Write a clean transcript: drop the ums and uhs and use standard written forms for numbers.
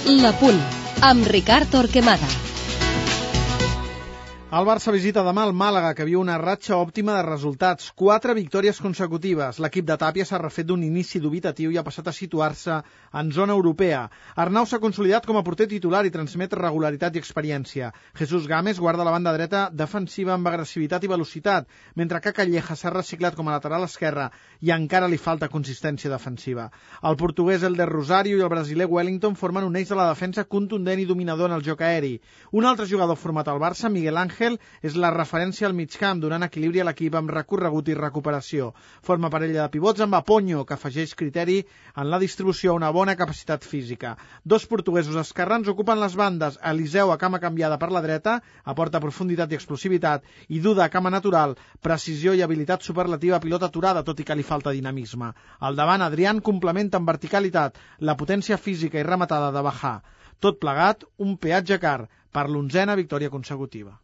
La Punt, amb Ricard Torquemada. El Barça visita demà el Màlaga, que viu una ratxa òptima de resultats. 4 victòries consecutives. L'equip de Tàpia s'ha refet d'un inici dubitatiu i ha passat a situar-se en zona europea. Arnau s'ha consolidat com a porter titular i transmet regularitat i experiència. Jesús Gámez guarda la banda dreta defensiva amb agressivitat i velocitat, mentre que Calleja s'ha reciclat com a lateral esquerre i encara li falta consistència defensiva. El portuguès Elder Rosario i el brasiler Wellington formen un eix de la defensa contundent i dominador en el joc aeri. Un altre jugador format al Barça, Miguel Ángel, és la referència al migcamp, donant equilibri a l'equip amb recorregut i recuperació. Forma parella de pivots amb Aponyo, que afegeix criteri en la distribució a una bona capacitat física. 2 portuguesos esquerrans ocupen les bandes, Eliseu a cama canviada per la dreta, aporta profunditat i explosivitat, i Duda a cama natural, precisió i habilitat superlativa a pilota aturada, tot i que li falta dinamisme. Al davant, Adrián complementa amb verticalitat la potència física i rematada de Bajà. Tot plegat, un peatge car per l'11a victòria consecutiva.